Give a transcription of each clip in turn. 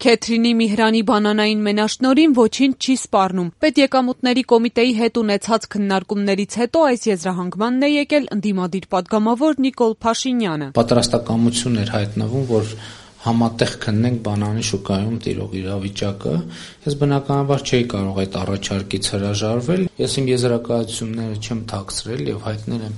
Քեթրինի Միհրանի բանանային մենաշնորհին ոչինչ չի սպառնում։ Պետեկամուտների կոմիտեի հետ ունեցած քննարկումներից հետո այս եզրահանգմանն է եկել ընդդիմադիր պատգամավոր Նիկոլ Փաշինյանը։ Պատրաստակամություն էր հայտնվում, որ համատեղ քննենք բանանի շուկայում տիրող իրավիճակը։ Ես բնականաբար չէի կարող այդ առաջարկից հրաժարվել։ Ես իմ եզրակացությունները չեմ թաքցրել եւ հայտնել եմ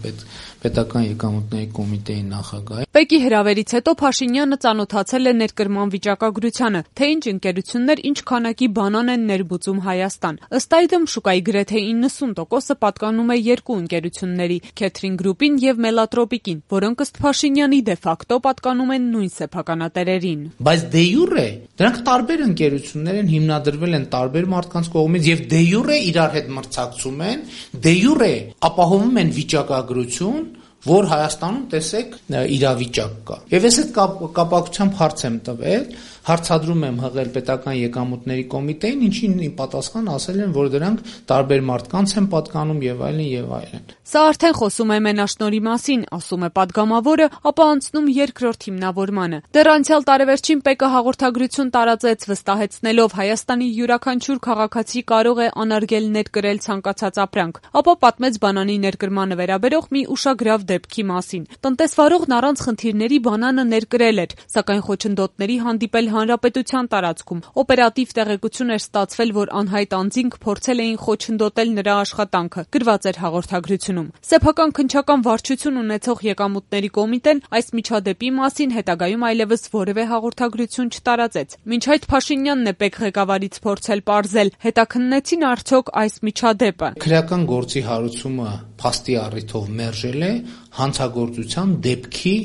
պետական եկամուտների կոմիտեի նախագահին։ Պեկի հրավերից հետո Փաշինյանը ծանոթացել է ներկրման վիճակագրությանը, թե ինչ ընկերություններ ինչ քանակի բանան են ներմուծում Հայաստան։ Ըստ այդմ շուկայի գրեթե 90%-ը պատկանում է երկու ընկերությունների՝ Քեթրին Գրուպին եւ Մելատրոպիկին, որոնք ըստ Փաշինյանի դե ֆակտո պատկանում են նույն սեփականատերերին։ Բայց դե յուրե դրանք տարբեր ընկերություններ են, հիմնադրվել են տարբեր մարդկանց կողմից եւ դե յուրե իրար հետ մրցակցում են, դե յուրե ապահովում են վիճակագրություն, որ Հայաստանում տեսեք իրավիճակ կա։ Եվ ես այդ կապակցությամբ հարց եմ տվել, հարցադրում եմ հղել պետական եկամուտների կոմիտեին, ինչին իմ պատասխան ասել են, որ դրանք տարբեր մարդկանց են պատկանում եւ այլն եւ այլն։ Սա արդեն խոսում է մենաշնորհի մասին, ասում է պատգամավորը, ապա անցնում երկրորդ հիմնավորմանը։ Դեռ անցյալ տարեվերջին ՊԿ հաղորդագրություն տարածեց, վստահեցնելով Հայաստանի յուրաքանչյուր քաղաքացի կարող է անարգել ներկրել ցանկացած ապրանք, ապա պատմեց բանանի ներկրմանը վերաբերող մի ուշագրավ դեպքի մասին։ Տնտեսվարողն առանց խնդիրների բանանը ներկրել էր, սակայն խոչընդոտների հանդիպել հանրապետության տարածքում։ Օպերատիվ տեղեկություն էր ստացվել, որ անհայտ անձինք փորձել էին խոչընդոտել նրա աշխատանքը, գրված էր հաղորդագրությունում։ Սեփական քննչական վարչություն ունեցող եկամուտների կոմիտեն այս միջադեպի մասին հետագայում այլևս որևէ հաղորդագրություն չտարածեց։ Մինչ այդ Փաշինյանն է ՊԵԿ ղեկավարից փորձել պարզել, հետաքննեցին արդյոք այս միջադեպը։ Քրեական գործի հարուցումը փաստի առիթով մերժել է հանցագործության դեպքի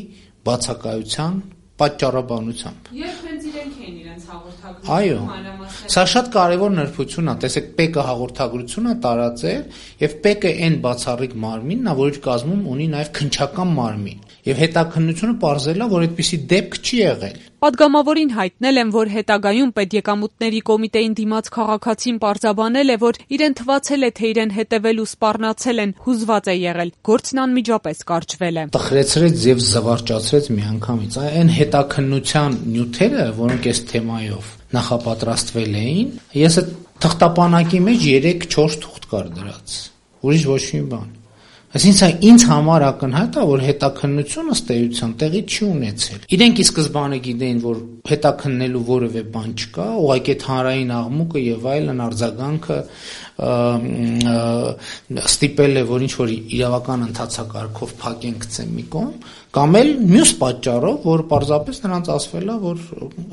բացակայության պատճառաբանությամբ։ Երբ հենց իրենք էին իրենց հաղորդագրությունը Այո, սա շատ կարևոր նրբություն է, տեսեք, ՊԵԿ հաղորդագրությունը տարածել եւ ՊԵԿ-ը այն բացառիկ մարմինն է, որ իր կազմում ունի նաեւ քննչական մարմին։ Եվ հետաքննությունը պարզել է, որ այդպիսի դեպք չի եղել։ Պատգամավորին հայտնել են, որ հետագայում պետեկամուտների կոմիտեին դիմաց քաղաքացին պարզաբանել է, որ իրեն թվացել է, թե իրեն հետևել ու սպառնացել են, հուզված է եղել, գործն անմիջապես կարճվել է։ Տխրեցրեց եւ զվարճացրեց միանգամից։ Այն հետաքննության նյութերը, որոնք այս թեմայով նախապատրաստվել էին, ես այդ թղթապանակի մեջ 3-4 թուղթ կար դրած։ Ուրիշ ոչ մի բան։ Այսինքն ինձ համար ակնհայտ է, որ հետաքննությունը ըստ էության տեղի չի ունեցել։ Իրենք ի սկզբանե գիտեին, որ հետաքննելու որևէ բան չկա, ուղղակի այդ հանրային աղմուկը եւ այլն արձագանքը ստիպել է, որ ինչ-որ իրավական ընթացակարգով փակեն գցեն մի կողմ, կամ էլ մյուս պատճառով, որ պարզապես նրանց ասվել է, որ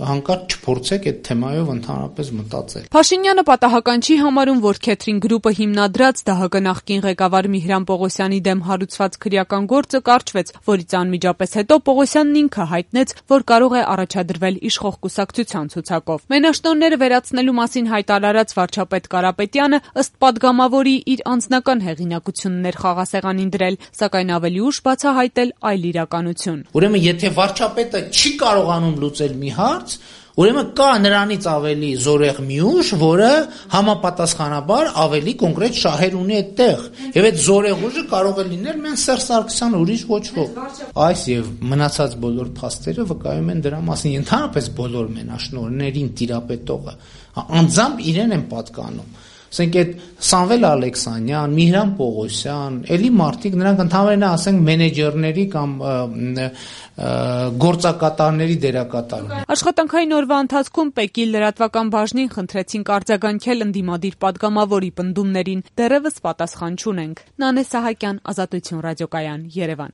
հանկարծ չփորձեք այդ թեմայով ընդհանրապես մտածել։ Փաշինյանը պատահական չի համարում, որ Քեթրին Գրուպը հիմնադրած ԴՀԿ նախկին ղեկավար Միհրան Պողոսյանի դեմ հարուցված քրեական գործը կարճվեց, որից անմիջապես հետո Պողոսյանն ինքը հայտնեց, որ կարող է առաջադրվել իշխող կուսակցության ցուցակով։ Մենաշնորհները վերացնելու մասին հայտարարած վարչապետ Կարապետյանը ըստ պատգամավորի իր անձնական հեղինակությունն էր խաղասեղանին դրել, սակայն ավելի ուշ բացահայտել այլ իրականություն։ Ուրեմն եթե վարչապետը չի կարողանում լուծել մի հարց, ուրեմն կա նրանից ավելի զորեղ մի ուժ, որը համապատասխանաբար ավելի կոնկրետ շահեր ունի այդտեղ։ Եվ այդ զորեղ ուժը կարող է լինել մեն Սերժ Սարգսյանը, ուրիշ ոչ ոք։ Այս եւ մնացած բոլոր փաստերը վկայում են դրա մասին, ընդհանրապես բոլոր մենաշնորհներին տիրապետողը անձամբ իրեն են պատկանում։ Ասենք այդ Սամվել Ալեքսանյան, Միհրան Պողոսյան, էլի մարդիկ, նրանք ընդհանրապես ասենք մենեջերների կամ գործակատարների դերակատարներ։ Աշխատանքային օրվա ընթացքում ՊԵԿ-ի լրատվական բաժնին խնդրեցինք արձագանքել ընդդիմադիր պատգամավորի պնդումներին, դեռևս պատասխան չունենք։ Նանե Սահակյան, Ազատություն ռադիոկայան, Երևան։